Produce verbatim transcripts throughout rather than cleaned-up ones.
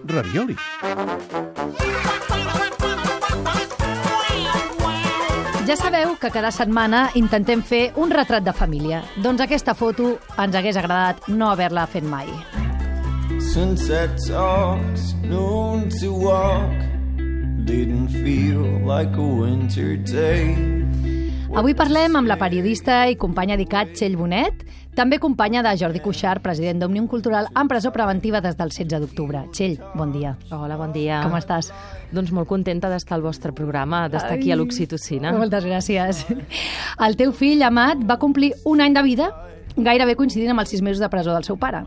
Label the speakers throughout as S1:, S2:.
S1: Ravioli.
S2: Ja sabeu que cada setmana intentem fer un retrat de família. Doncs aquesta foto ens hagués agradat no haver-la fet mai.
S3: Sunset talks, noon to walk, didn't feel like a winter day.
S2: Avui parlem amb la periodista i companya d'ICAT Txell Bonet, també companya de Jordi Cuixart, president d'Òmnium Cultural, en presó preventiva des del setze d'octubre. Txell, bon dia.
S4: Hola, bon dia.
S2: Com estàs?
S4: Doncs molt contenta d'estar al vostre programa, d'estar aquí a l'Oxitocina.
S2: Moltes gràcies. El teu fill, Amat, va complir un any de vida, gairebé coincidint amb els sis mesos de presó del seu pare.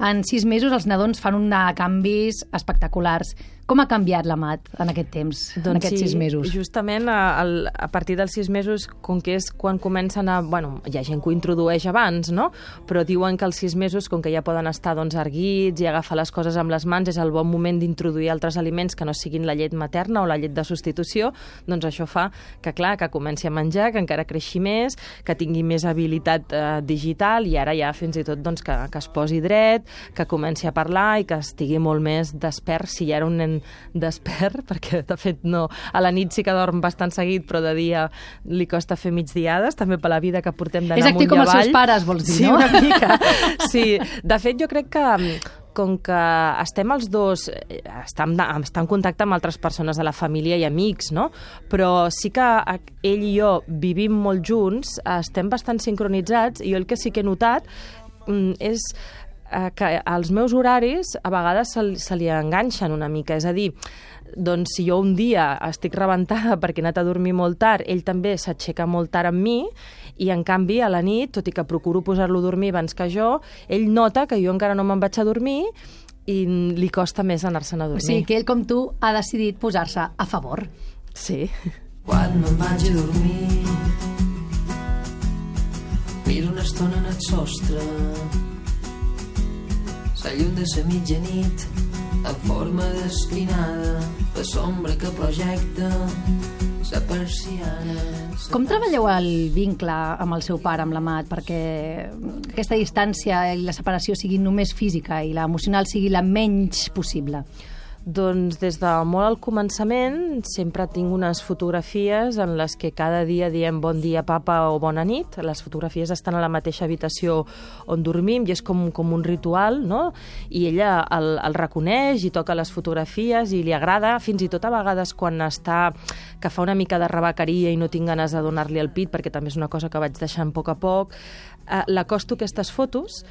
S2: En sis mesos els nadons fan un de canvis espectaculars. Com ha canviat l'Amat en aquest temps,
S4: doncs
S2: en aquests
S4: sí,
S2: sis mesos?
S4: Justament a, a partir dels sis mesos, com que és quan comencen a... Bueno, hi ha gent que ho introdueix abans, no? Però diuen que als sis mesos, com que ja poden estar doncs, erguits i agafar les coses amb les mans, és el bon moment d'introduir altres aliments que no siguin la llet materna o la llet de substitució, doncs això fa que, clar, que comenci a menjar, que encara creixi més, que tingui més habilitat eh, digital i ara ja fins i tot doncs, que, que es posi dret, que comenci a parlar i que estigui molt més despert, si ja era un nen despert, perquè de fet no, a la nit sí que dorm bastant seguit, però de dia li costa fer migdiades, també per la vida que portem d'anar amunt i avall.
S2: És actiu com els seus pares, vols dir,
S4: sí,
S2: no?
S4: Sí, una mica. Sí, de fet jo crec que com que estem els dos, estem, estem en contacte amb altres persones de la família i amics, no? Però sí que ell i jo vivim molt junts, estem bastant sincronitzats, i jo el que sí que he notat és que els meus horaris a vegades se, se li enganxen una mica, és a dir, doncs si jo un dia estic rebentada perquè he anat a dormir molt tard, ell també s'aixeca molt tard amb mi, i en canvi a la nit, tot i que procuro posar-lo a dormir abans que jo, ell nota que jo encara no me'n vaig a dormir i li costa més anar-se'n a dormir.
S2: O sigui que ell, com tu, ha decidit posar-se a favor.
S4: Sí.
S5: Quan me'n vaig a dormir, miro una estona en el sostre, la llum de la mitjanit en forma d'espinada, la sombra que projecta la persiana.
S2: Com treballeu el vincle amb el seu pare, amb l'Amat, perquè aquesta distància i la separació sigui només física i l'emocional sigui la menys possible?
S4: Doncs des de molt al començament sempre tinc unes fotografies en les que cada dia diem bon dia papa o bona nit. Les fotografies estan a la mateixa habitació on dormim i és com, com un ritual, no? I ella el, el reconeix i toca les fotografies i li agrada, fins i tot a vegades quan està que fa una mica de rebequeria i no tinc ganes de donar-li el pit, perquè també és una cosa que vaig deixant a poc a poc, eh, l'acosto aquestes fotos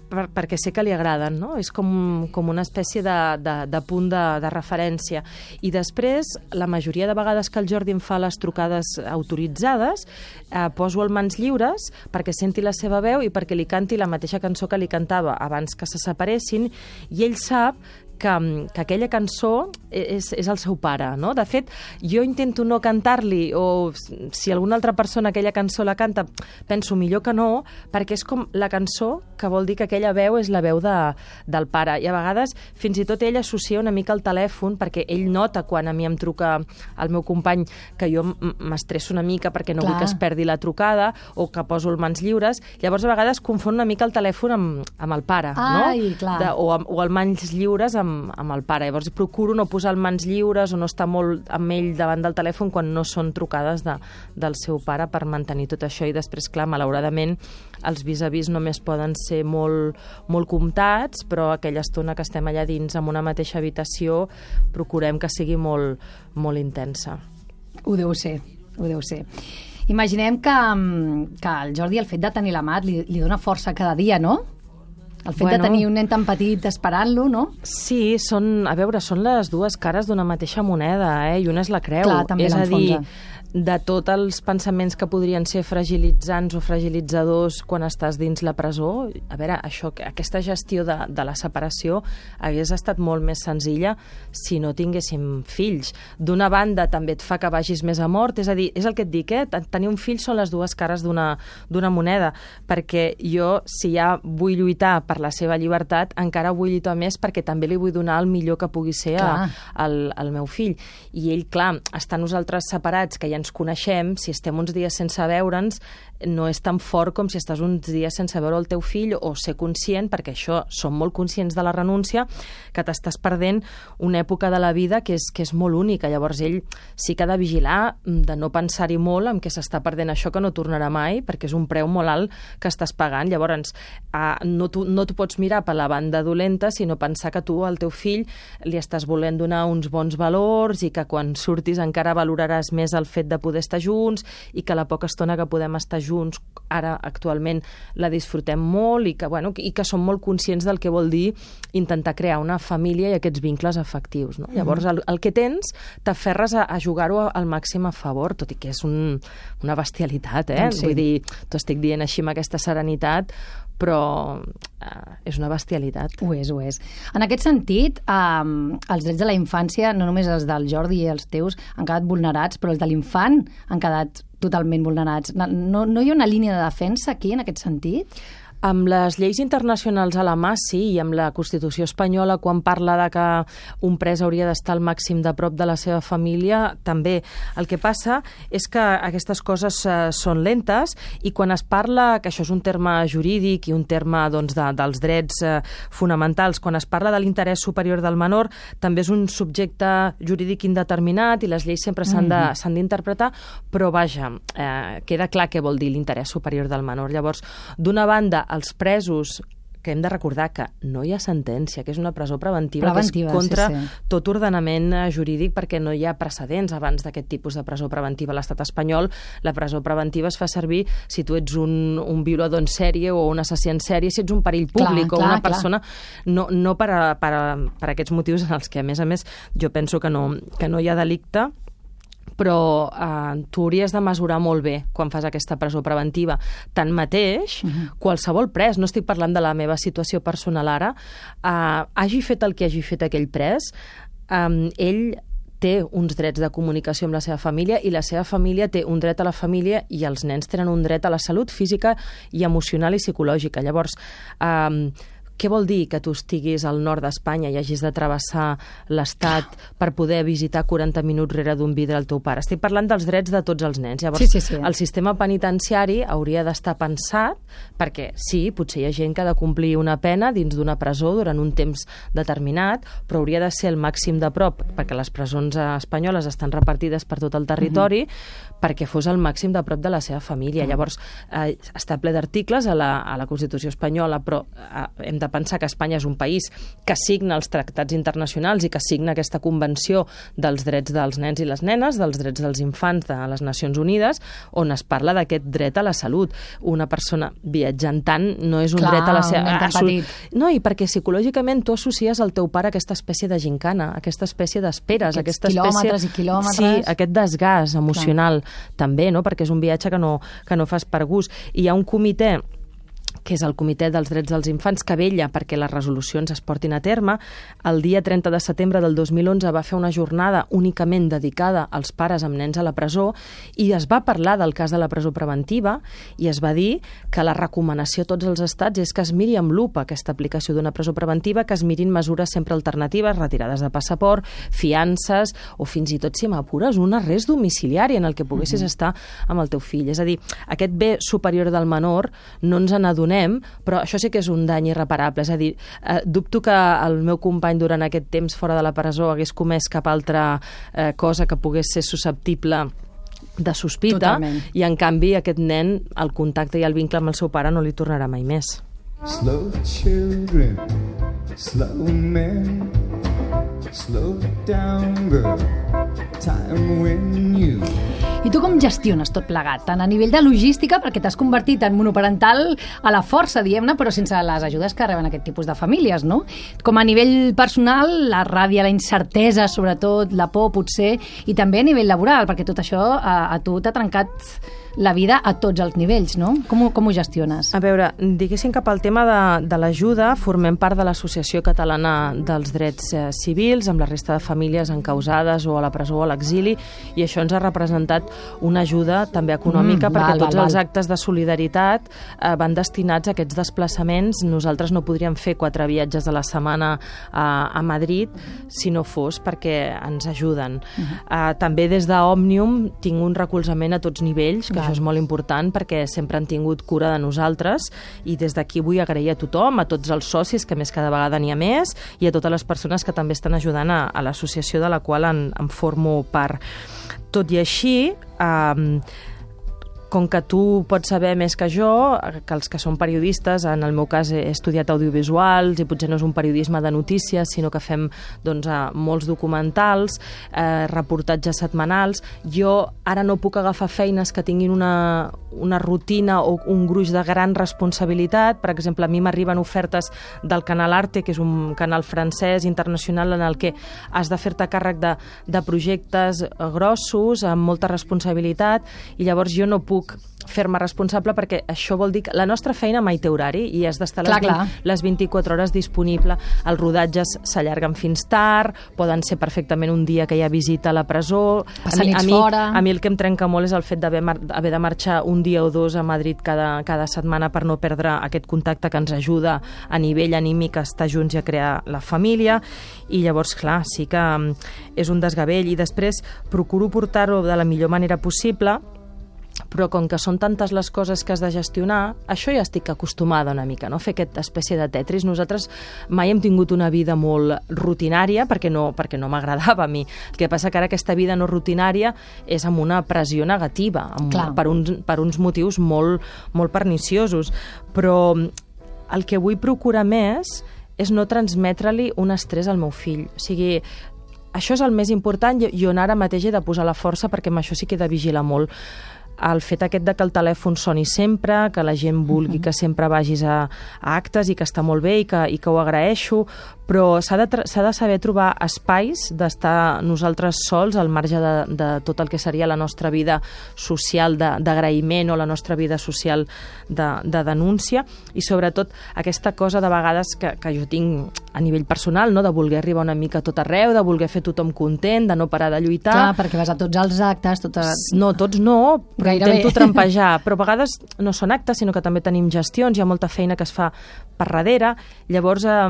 S4: Per, perquè sé que li agraden, no? És com, com una espècie de, de, de punt de, de referència. I després, la majoria de vegades que el Jordi em fa les trucades autoritzades, eh, poso el mans lliures perquè senti la seva veu i perquè li canti la mateixa cançó que li cantava abans que se separessin, i ell sap que, que aquella cançó és, és el seu pare, no? De fet, jo intento no cantar-li, o si alguna altra persona aquella cançó la canta, penso millor que no, perquè és com la cançó que vol dir que aquella veu és la veu de, del pare. I a vegades, fins i tot ell associa una mica el telèfon, perquè ell nota quan a mi em truca el meu company que jo m'estresso una mica perquè no
S2: Clar.
S4: vull que es perdi la trucada, o que poso el mans lliures. Llavors, a vegades confon una mica el telèfon amb, amb el pare,
S2: Ai,
S4: no?
S2: clar.
S4: De, o, o el mans lliures amb Amb, amb el pare. Llavors procuro no posar el mans lliures o no estar molt amb ell davant del telèfon quan no són trucades de, del seu pare, per mantenir tot això. I després, clar, malauradament, els vis-a-vis només poden ser molt, molt comptats, però aquella estona que estem allà dins amb una mateixa habitació procurem que sigui molt, molt intensa.
S2: Ho deu ser, ho deu ser. Imaginem que, que el Jordi, el fet de tenir l'Amat, li, li dona força cada dia, no? El fet bueno, de tenir un nen tan petit esperant-lo, no?
S4: Sí, són, a veure, són les dues cares d'una mateixa moneda, eh? I una és la creu.
S2: Clar, també
S4: és a dir,
S2: l'enfonsa.
S4: de tots els pensaments que podrien ser fragilitzants o fragilitzadors quan estàs dins la presó, a veure, això, aquesta gestió de, de la separació hagués estat molt més senzilla si no tinguéssim fills. D'una banda, també et fa que vagis més a mort, és a dir, és el que et dic, eh? Tenir un fill són les dues cares d'una d'una moneda, perquè jo, si ja vull lluitar per la seva llibertat, encara vull lluitar més perquè també li vull donar el millor que pugui ser a, al, al meu fill. I ell, clar, estar nosaltres separats, que ja ens coneixem, si estem uns dies sense veure'ns, no és tan fort com si estàs uns dies sense veure el teu fill, o ser conscient, perquè això, som molt conscients de la renúncia, que t'estàs perdent una època de la vida que és, que és molt única. Llavors ell sí que ha de vigilar de no pensar-hi molt en què s'està perdent això que no tornarà mai, perquè és un preu molt alt que estàs pagant. Llavors eh, no t'ho no t'ho pots mirar per la banda dolenta, sinó pensar que tu al teu fill li estàs volent donar uns bons valors i que quan surtis encara valoraràs més el fet de poder estar junts i que la poca estona que podem estar junts ara actualment la disfrutem molt i que, bueno, i que som molt conscients del que vol dir intentar crear una família i aquests vincles afectius. No? Llavors el, el que tens t'aferres a, a jugar-ho al màxim a favor, tot i que és un, una bestialitat, eh?
S2: Sí.
S4: Vull dir, t'ho estic dient així amb aquesta serenitat, però eh, és una bestialitat.
S2: Ho és, ho és. En aquest sentit, eh, els drets de la infància, no només els del Jordi i els teus, han quedat vulnerats, però els de l'infant han quedat totalment vulnerats. No, no hi ha una línia de defensa aquí, en aquest sentit?
S4: Amb les lleis internacionals a la mà, sí, i amb la Constitució espanyola, quan parla de que un pres hauria d'estar al màxim de prop de la seva família, també. El que passa és que aquestes coses eh, són lentes i quan es parla, que això és un terme jurídic i un terme doncs, de, dels drets eh, fonamentals, quan es parla de l'interès superior del menor, també és un subjecte jurídic indeterminat i les lleis sempre s'han de, s'han d'interpretar, però vaja, eh, queda clar què vol dir l'interès superior del menor. Llavors, d'una banda, els presos, que hem de recordar que no hi ha sentència, que és una presó preventiva,
S2: preventiva
S4: que és contra
S2: sí, sí.
S4: tot ordenament jurídic perquè no hi ha precedents abans d'aquest tipus de presó preventiva. A l'estat espanyol, la presó preventiva es fa servir si tu ets un, un violador en sèrie o un assassí en sèrie, si ets un perill públic clar, o una clar, persona, clar. no, no per, a, per, a, per a aquests motius en els que, a més a més, jo penso que no, que no hi ha delicte, però eh, tu hauries de mesurar molt bé quan fas aquesta presó preventiva. Tanmateix, uh-huh. qualsevol pres, no estic parlant de la meva situació personal ara, eh, hagi fet el que hagi fet aquell pres, eh, ell té uns drets de comunicació amb la seva família i la seva família té un dret a la família i els nens tenen un dret a la salut física i emocional i psicològica. Llavors, eh, què vol dir que tu estiguis al nord d'Espanya i hagis de travessar l'Estat per poder visitar quaranta minuts rere d'un vidre al teu pare? Estic parlant dels drets de tots els nens. Llavors,
S2: sí, sí, sí.
S4: el sistema penitenciari hauria d'estar pensat perquè, sí, potser hi ha gent que ha de complir una pena dins d'una presó durant un temps determinat, però hauria de ser el màxim de prop, perquè les presons espanyoles estan repartides per tot el territori, uh-huh. perquè fos el màxim de prop de la seva família. Uh-huh. Llavors, eh, està ple d'articles a la, a la Constitució espanyola, però eh, hem de pensar que Espanya és un país que signa els tractats internacionals i que signa aquesta convenció dels drets dels nens i les nenes, dels drets dels infants de les Nacions Unides, on es parla d'aquest dret a la salut. Una persona viatjant tant no és un
S2: clar,
S4: dret a la seva...
S2: petit.
S4: No, i perquè psicològicament tu associes al teu pare aquesta espècie de gincana, aquesta espècie d'esperes, aquesta
S2: quilòmetres
S4: espècie...
S2: i quilòmetres.
S4: Sí, aquest desgast emocional clar. També, no? Perquè és un viatge que no, que no fas per gust. I hi ha un comitè que és el Comitè dels Drets dels Infants, que vetlla perquè les resolucions es portin a terme. El dia trenta de setembre del dos mil onze va fer una jornada únicament dedicada als pares amb nens a la presó i es va parlar del cas de la presó preventiva i es va dir que la recomanació a tots els estats és que es miri amb lupa aquesta aplicació d'una presó preventiva, que es mirin mesures sempre alternatives, retirades de passaport, fiances o fins i tot, si m'apures, un arrest domiciliari en el que poguessis mm-hmm. estar amb el teu fill. És a dir, aquest bé superior del menor no ens n'adonem, però això sí que és un dany irreparable. És a dir, eh, dubto que el meu company durant aquest temps fora de la presó hagués comès cap altra eh, cosa que pogués ser susceptible de sospita.
S2: Totalment.
S4: I en canvi aquest nen, el contacte i el vincle amb el seu pare no li tornarà mai més.
S3: Slow children, slow men, slow down girl, time when you...
S2: I tu com gestiones tot plegat? Tant a nivell de logística, perquè t'has convertit en monoparental a la força, diguem-ne, però sense les ajudes que reben aquest tipus de famílies, no? Com a nivell personal, la ràbia, la incertesa, sobretot, la por, potser, i també a nivell laboral, perquè tot això a, a tu t'ha trencat la vida a tots els nivells, no? Com, com ho gestiones?
S4: A veure, diguéssim que pel tema de, de l'ajuda, formem part de l'Associació Catalana dels Drets eh, Civils, amb la resta de famílies encausades o a la presó o a l'exili, i això ens ha representat una ajuda també econòmica, mm, perquè
S2: val,
S4: tots
S2: val,
S4: els
S2: val.
S4: actes de solidaritat eh, van destinats a aquests desplaçaments. Nosaltres no podríem fer quatre viatges a la setmana a, a Madrid si no fos perquè ens ajuden. Uh-huh. eh, també des d'Òmnium tinc un recolzament a tots nivells, que això és molt important perquè sempre han tingut cura de nosaltres i des d'aquí vull agrair a tothom, a tots els socis, que més cada vegada n'hi ha més, i a totes les persones que també estan ajudant a, a l'associació de la qual en, en formo part. Tot i així, eh, com que tu pots saber més que jo, que els que són periodistes, en el meu cas he estudiat audiovisuals i potser no és un periodisme de notícies, sinó que fem doncs, molts documentals, eh, reportatges setmanals. Jo ara no puc agafar feines que tinguin una, una rutina o un gruix de gran responsabilitat. Per exemple, a mi m'arriben ofertes del Canal Arte, que és un canal francès internacional en el que has de fer-te càrrec de, de projectes grossos, amb molta responsabilitat, i llavors jo no puc fer-me responsable perquè això vol dir que la nostra feina mai té horari i has d'estar les, les vint-i-quatre hores disponible. Els rodatges s'allarguen fins tard, poden ser perfectament un dia que hi ha visita a la presó.
S2: Passar nits
S4: a mi,
S2: fora.
S4: A mi el que em trenca molt és el fet d'haver haver de marxar un dia o dos a Madrid cada, cada setmana per no perdre aquest contacte que ens ajuda a nivell anímic a estar junts i a crear la família. I llavors, clar, sí que és un desgavell i després procuro portar-ho de la millor manera possible, però com que són tantes les coses que has de gestionar, això ja estic acostumada una mica, no? Fer aquesta espècie de Tetris. Nosaltres mai hem tingut una vida molt rutinària perquè no, perquè no m'agradava a mi. El que passa que ara aquesta vida no rutinària és amb una pressió negativa, amb, per, uns, per uns motius molt, molt perniciosos. Però el que vull procurar més és no transmetre-li un estrès al meu fill. O sigui, això és el més important i on ara mateix he de posar la força perquè amb això sí que he de vigilar molt. El fet aquest de que el telèfon soni sempre, que la gent vulgui que sempre vagis a, a actes i que està molt bé i que, i que ho agraeixo, però s'ha de, s'ha de saber trobar espais d'estar nosaltres sols al marge de, de tot el que seria la nostra vida social d'agraïment o la nostra vida social de, de denúncia, i sobretot aquesta cosa de vegades que, que jo tinc a nivell personal, no? De voler arribar una mica a tot arreu, de voler fer tothom content, de no parar de lluitar.
S2: Clar, perquè vas a tots els actes, totes...
S4: No, tots no, però gairebé intento trampejar, però a vegades no són actes, sinó que també tenim gestions, hi ha molta feina que es fa per darrere, llavors eh,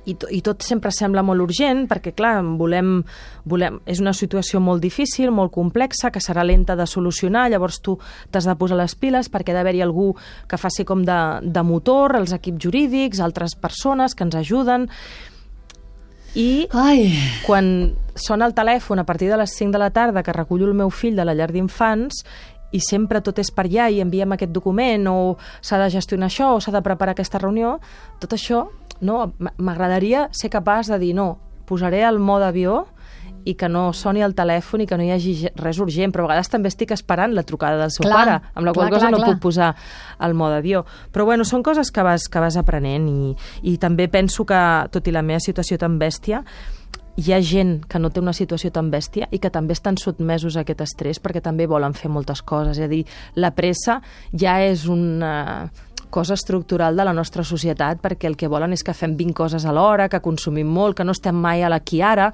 S4: i, to, i tot sempre sembla molt urgent, perquè clar, volem, volem, és una situació molt difícil, molt complexa, que serà lenta de solucionar, llavors tu t'has de posar les piles perquè ha d'haver-hi algú que faci com de, de motor, els equips jurídics, altres persones que ens ajuden. I Ai. Quan sona el telèfon a partir de les cinc de la tarda que recullo el meu fill de la llar d'infants i sempre tot és per allà i enviem aquest document o s'ha de gestionar això o s'ha de preparar aquesta reunió, tot això no, m'agradaria ser capaç de dir no, posaré el mode avió i que no soni el telèfon i que no hi hagi res urgent, però a vegades també estic esperant la trucada del seu clar, pare, amb la qual clar, cosa clar, no clar. Puc posar el mode avió. Però bueno, són coses que vas, que vas aprenent i, i també penso que, tot i la meva situació tan bèstia, hi ha gent que no té una situació tan bèstia i que també estan sotmesos a aquest estrès perquè també volen fer moltes coses. És a dir, la pressa ja és una cosa estructural de la nostra societat perquè el que volen és que fem vint coses a l'hora, que consumim molt, que no estem mai a l'aquí ara.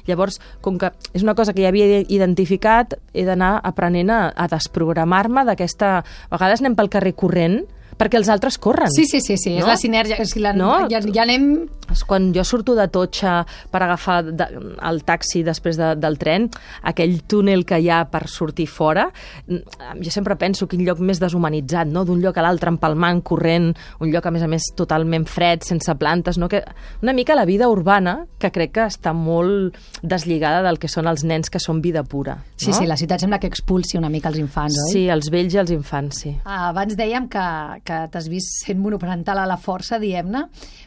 S4: Llavors, com que és una cosa que ja havia identificat, he d'anar aprenent a, a desprogramar-me d'aquesta... A vegades anem pel carrer corrent perquè els altres corren.
S2: Sí, sí, sí, sí. No? És la sinergia. És la, no? ja, ja anem...
S4: Quan jo surto de Totxa per agafar de, el taxi després de, del tren, aquell túnel que hi ha per sortir fora, jo sempre penso quin lloc més deshumanitzat, no? D'un lloc a l'altre empalmant, corrent, un lloc a més a més totalment fred, sense plantes, no? Que una mica la vida urbana, que crec que està molt deslligada del que són els nens que són vida pura. No?
S2: Sí, sí, la ciutat sembla que expulsi una mica els infants, oi?
S4: Sí, els vells i els infants, sí.
S2: Ah, abans dèiem que que t'has vist sent monoparental a la força, diem-ne,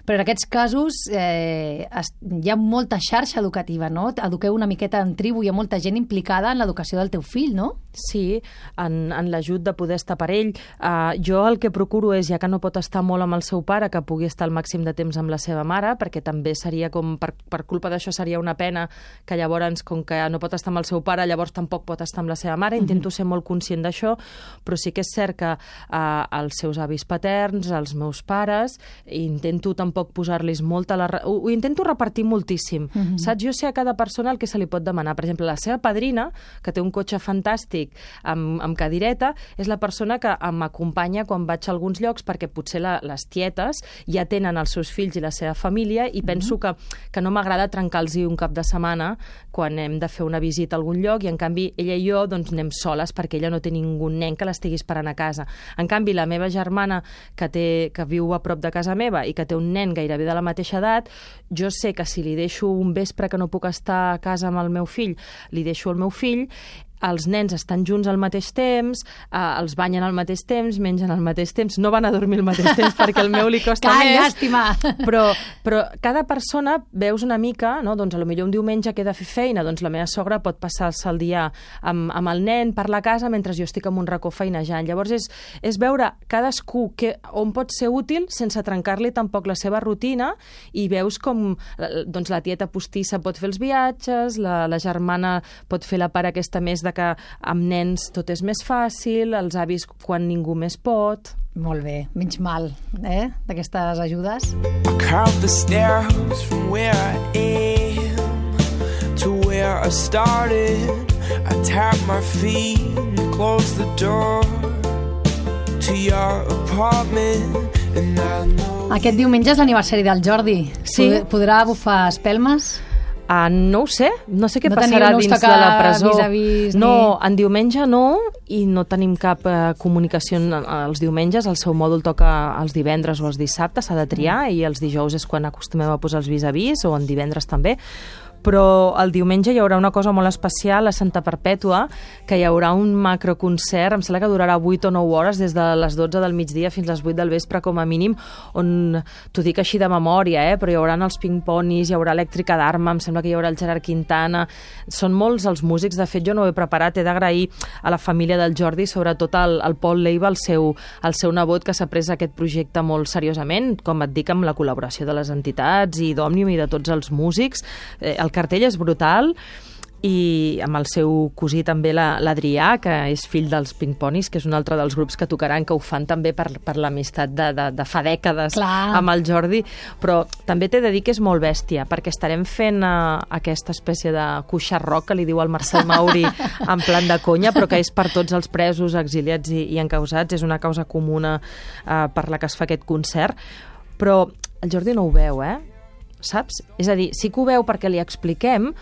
S2: però en aquests casos eh, es, hi ha molta xarxa educativa, no? Eduqueu una miqueta en tribu, hi ha molta gent implicada en l'educació del teu fill, no?
S4: Sí, en, en l'ajut de poder estar per ell. Uh, jo el que procuro és, ja que no pot estar molt amb el seu pare, que pugui estar el màxim de temps amb la seva mare, perquè també seria com, per, per culpa d'això seria una pena que llavors, com que no pot estar amb el seu pare, llavors tampoc pot estar amb la seva mare. Intento mm-hmm. ser molt conscient d'això, però sí que és cert que uh, els seus avis paterns, els meus pares, intento tampoc posar-los molt a la... Ho, ho intento repartir moltíssim. Mm-hmm. Saps? Jo sé a cada persona el que se li pot demanar. Per exemple, la seva padrina, que té un cotxe fantàstic plàstic amb, amb cadireta, és la persona que m'acompanya quan vaig a alguns llocs, perquè potser la, les tietes ja tenen els seus fills i la seva família i penso mm-hmm. que, que no m'agrada trencar-los un cap de setmana quan hem de fer una visita a algun lloc i, en canvi, ella i jo doncs, anem soles perquè ella no té ningú nen que l'estigui esperant a casa. En canvi, la meva germana, que, té, que viu a prop de casa meva i que té un nen gairebé de la mateixa edat, jo sé que si li deixo un vespre que no puc estar a casa amb el meu fill, li deixo el meu fill, els nens estan junts al mateix temps, eh, els banyen al mateix temps, mengen al mateix temps, no van a dormir al mateix temps perquè al meu li costa
S2: Clar,
S4: més.
S2: llàstima!
S4: Però, però cada persona veus una mica, no? Doncs a lo millor un diumenge que he de fer feina, doncs la meva sogra pot passar-se el dia amb, amb el nen per la casa mentre jo estic en un racó feinejant. Llavors és, és veure cadascú que, on pot ser útil sense trencar-li tampoc la seva rutina, i veus com doncs, la tieta postissa pot fer els viatges, la, la germana pot fer la part aquesta més de que amb nens tot és més fàcil, els avis quan ningú més pot.
S2: Molt bé, menys mal, eh, d'aquestes ajudes.
S1: I count the stairs from where I am to where I started. I tap my feet and close the door to your apartment, and I know...
S2: Aquest diumenge és l'aniversari del Jordi.
S4: Sí.
S2: Podrà bufar espelmes?
S4: Uh, no ho sé, no sé què
S2: no
S4: passarà
S2: teniu, no
S4: dins de la presó.
S2: Vis-a-vis,
S4: no,
S2: ni...
S4: en diumenge no, i no tenim cap uh, comunicació els diumenges. El seu mòdul toca els divendres o els dissabtes, s'ha de triar, mm. i els dijous és quan acostumem a posar els vis-a-vis, o en divendres també. Però el diumenge hi haurà una cosa molt especial a Santa Perpètua, que hi haurà un macroconcert, em sembla que durarà vuit o nou hores, des de les dotze del migdia fins les vuit del vespre com a mínim, on, t'ho dic així de memòria, eh, però hi haurà els Pink Ponis, hi haurà Elèctrica d'Arma, em sembla que hi haurà el Gerard Quintana, són molts els músics. De fet, jo no ho he preparat, he d'agrair a la família del Jordi, sobretot al, al Pol Leiva, el seu, el seu nebot, que s'ha pres aquest projecte molt seriosament, com et dic, amb la col·laboració de les entitats i d'Òmnium i de tots els músics. Eh, el cartell és brutal, i amb el seu cosí també, l'Adrià, que és fill dels Pink Ponis, que és un altre dels grups que tocaran, que ho fan també per, per l'amistat de, de, de fa dècades. Clar. Amb el Jordi, però també t'he de dir que és molt bèstia, perquè estarem fent uh, aquesta espècie de cuixa rock que li diu el Marcel Mauri en plan de conya, però que és per tots els presos, exiliats i, i encausats. És una causa comuna uh, per la que es fa aquest concert, però el Jordi no ho veu, eh? Saps? És a dir, sí que ho veu perquè li expliquem,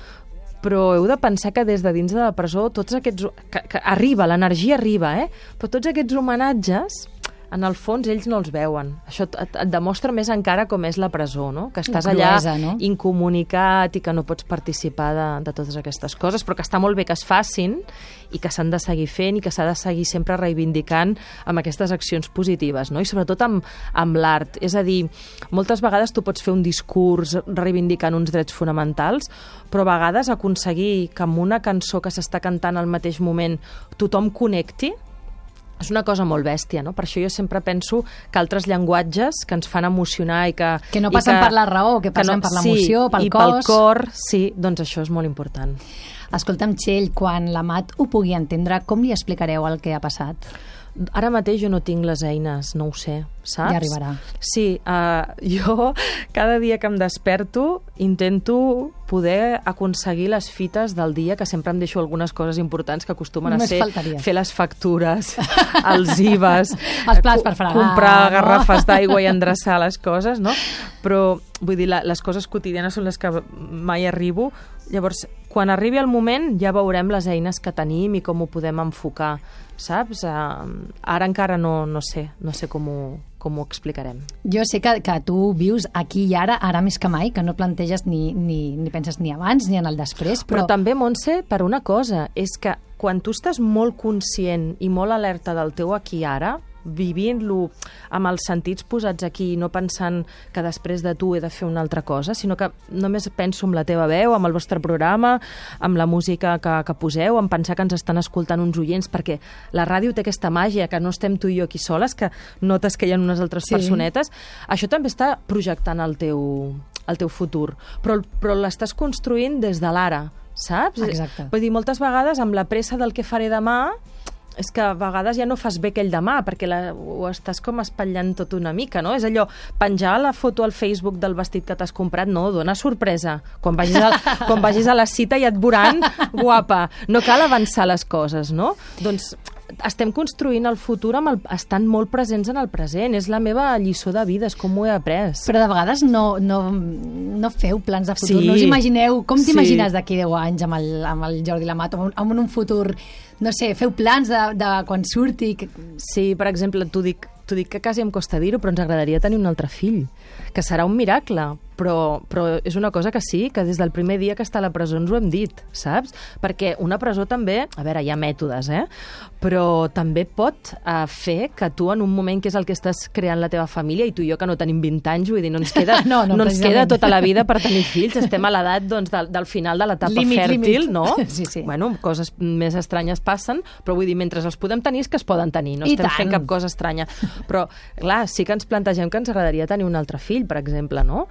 S4: però heu de pensar que des de dins de la presó tots aquests... Que, que arriba, l'energia arriba, eh? Però tots aquests homenatges, en el fons, ells no els veuen. Això et, et demostra més encara com és la presó, no? Que estàs allà cruesa, no? Incomunicat i que no pots participar de, de totes aquestes coses, però que està molt bé que es facin i que s'han de seguir fent i que s'ha de seguir sempre reivindicant amb aquestes accions positives, no? I sobretot amb, amb l'art. És a dir, moltes vegades tu pots fer un discurs reivindicant uns drets fonamentals, però a vegades aconseguir que amb una cançó que s'està cantant al mateix moment tothom connecti, és una cosa molt bèstia, no? Per això jo sempre penso que altres llenguatges que ens fan emocionar i que... Que
S2: no passen
S4: que,
S2: per la raó, que passen que no, per l'emoció,
S4: sí,
S2: pel
S4: i
S2: cos...
S4: pel cor, sí, doncs això és molt important.
S2: Escolta'm, Txell, quan l'Amat ho pugui entendre, com li explicareu el que ha passat?
S4: Ara mateix jo no tinc les eines, no ho sé, saps?
S2: Ja arribarà.
S4: Sí, uh, jo cada dia que em desperto intento poder aconseguir les fites del dia, que sempre em deixo algunes coses importants que acostumen
S2: Només
S4: a ser
S2: faltaria.
S4: Fer les factures, els I V As,
S2: els plats per fregar,
S4: comprar
S2: no?
S4: garrafes d'aigua i endreçar les coses, no? Però, vull dir, la, les coses quotidianes són les que mai arribo. Llavors, quan arribi el moment ja veurem les eines que tenim i com ho podem enfocar, saps? Uh, ara encara no, no sé, no sé com ho, com ho explicarem.
S2: Jo sé que, que tu vius aquí i ara, ara més que mai, que no planteges ni, ni, ni penses ni abans ni en el després, però...
S4: Però també, Montse, per una cosa, és que quan tu estàs molt conscient i molt alerta del teu aquí i ara, vivint-lo amb els sentits posats aquí, no pensant que després de tu he de fer una altra cosa, sinó que només penso en la teva veu, amb el vostre programa, amb la música que, que poseu, en pensar que ens estan escoltant uns oients, perquè la ràdio té aquesta màgia, que no estem tu i jo aquí soles, que notes que hi ha unes altres sí. personetes. Això també està projectant el teu, el teu futur, però, però l'estàs construint des de l'ara, saps?
S2: Exacte.
S4: Vull dir, moltes vegades amb la pressa del que faré demà és que a vegades ja no fas bé aquell demà, perquè la, ho estàs com espatllant tot una mica, no? És allò, penjar la foto al Facebook del vestit que t'has comprat, no, dona sorpresa. Quan vagis, a, quan vagis a la cita ja et veuran guapa. No cal avançar les coses, no? Doncs estem construint el futur amb el, estant molt presents en el present. És la meva lliçó de vida, és com ho he après.
S2: Però de vegades no, no, no feu plans de futur,
S4: Sí.
S2: no us imagineu, com
S4: Sí.
S2: t'imagines d'aquí deu anys amb el, amb el Jordi Lamat, amb un, amb un futur, no sé, feu plans de, de quan surti... Que...
S4: Sí, per exemple, t'ho dic, t'ho dic que quasi em costa dir-ho, però ens agradaria tenir un altre fill, que serà un miracle, però, però és una cosa que sí, que des del primer dia que està a la presó ens ho hem dit, saps? Perquè una presó també, a veure, hi ha mètodes, eh? Però també pot uh, fer que tu en un moment que és el que estàs creant la teva família, i tu i jo que no tenim vint anys, vull dir, no ens queda,
S2: No, no,
S4: no ens
S2: precisament.
S4: queda tota la vida per tenir fills, estem a l'edat doncs, del, del final de l'etapa
S2: Límit,
S4: fèrtil,
S2: límit.
S4: no?
S2: Sí, sí.
S4: Bueno, coses més estranyes passen, però vull dir, mentre els podem tenir és que es poden tenir, no
S2: I
S4: estem
S2: tant.
S4: fent cap cosa estranya. Però, clar, sí que ens plantegem que ens agradaria tenir un altre fill, per exemple, no?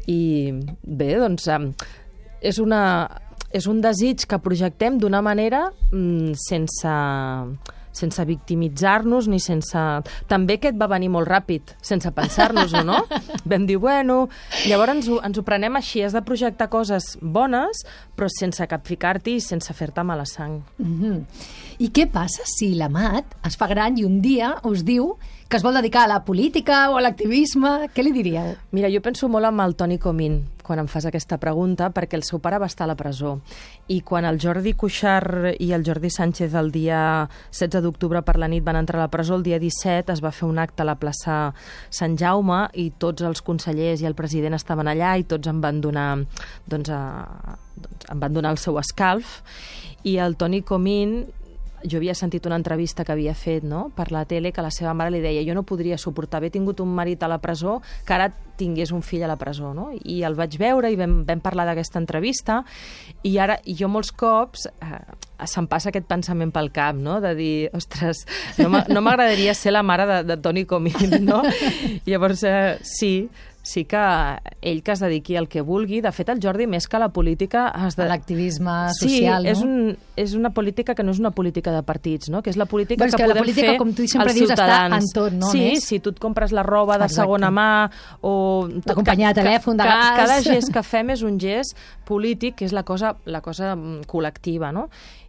S4: I bé, doncs, um, és, una, és un desig que projectem d'una manera mm, sense, sense victimitzar-nos ni sense... També aquest va venir molt ràpid, sense pensar-nos-ho, no? Vam dir, bueno... Llavors ens ho, ens ho prenem així, has de projectar coses bones, però sense capficar-t'hi i sense fer-te mala sang.
S2: Mm-hmm. I què passa si l'Amat es fa gran i un dia us diu que es vol dedicar a la política o a l'activisme? Què li diríeu?
S4: Mira, jo penso molt amb el Toni Comín quan em fas aquesta pregunta, perquè el seu pare va estar a la presó. I quan el Jordi Cuixart i el Jordi Sánchez el dia setze d'octubre per la nit van entrar a la presó, el dia disset es va fer un acte a la plaça Sant Jaume i tots els consellers i el president estaven allà i tots em van donar, doncs, a, doncs, em van donar el seu escalf. I el Toni Comín, jo havia sentit una entrevista que havia fet, no?, per la tele, que la seva mare li deia, jo no podria suportar haver tingut un marit a la presó que ara tingués un fill a la presó, no? I el vaig veure i vam, vam parlar d'aquesta entrevista i ara jo molts cops eh, se'm passa aquest pensament pel cap, no?, de dir, ostres, no m'a- no m'agradaria ser la mare de, de Toni Comín, no? Llavors, eh, sí, sí que ell que es dediqui al que vulgui. De fet, el Jordi, més que a la política... Es
S2: De l'activisme social,
S4: sí, és,
S2: no?
S4: un, és una política que no és una política de partits, no? Que és la política
S2: Però és
S4: que,
S2: que la
S4: podem
S2: política,
S4: fer
S2: com tu sempre
S4: els
S2: dius, està
S4: ciutadans.
S2: en tot, no?
S4: Sí,
S2: A més.
S4: si tu et compres la roba de
S2: Exacte.
S4: segona mà o...
S2: La companyia de telèfon, de
S4: ca-
S2: gas.
S4: Cada gest que fem és un gest polític, que és la cosa, la cosa mm, col·lectiva, no?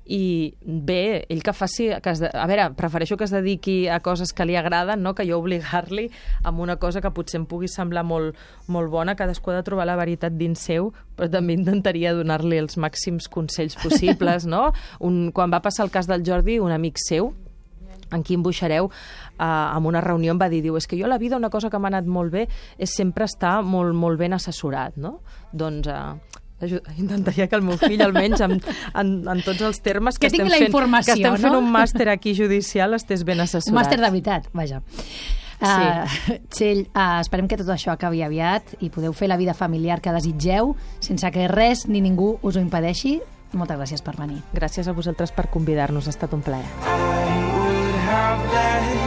S4: I bé, ell que faci... Que es de... A veure, prefereixo que es dediqui a coses que li agraden, no?, que jo obligar-li amb una cosa que potser em pugui semblar molt, molt bona. Cadascú ha de trobar la veritat dins seu, però també intentaria donar-li els màxims consells possibles, no? Un, quan va passar el cas del Jordi, un amic seu, en Quim Buixareu, eh, en una reunió em va dir, diu, és que jo a la vida una cosa que m'ha anat molt bé és sempre estar molt, molt ben assessorat, no? Doncs... Eh, aju- intentaria que el meu fill, almenys en, en, en tots els termes que,
S2: Que tingui
S4: estem
S2: la
S4: fent,
S2: informació,
S4: que estem fent
S2: no?
S4: un màster aquí judicial, estés ben assessorat.
S2: Un màster de veritat, vaja. Uh, Txell, uh, esperem que tot això acabi aviat i podeu fer la vida familiar que desitgeu sense que res ni ningú us ho impedeixi. Moltes gràcies per venir.
S4: Gràcies a vosaltres per convidar-nos, ha estat un plaer.
S1: I would have let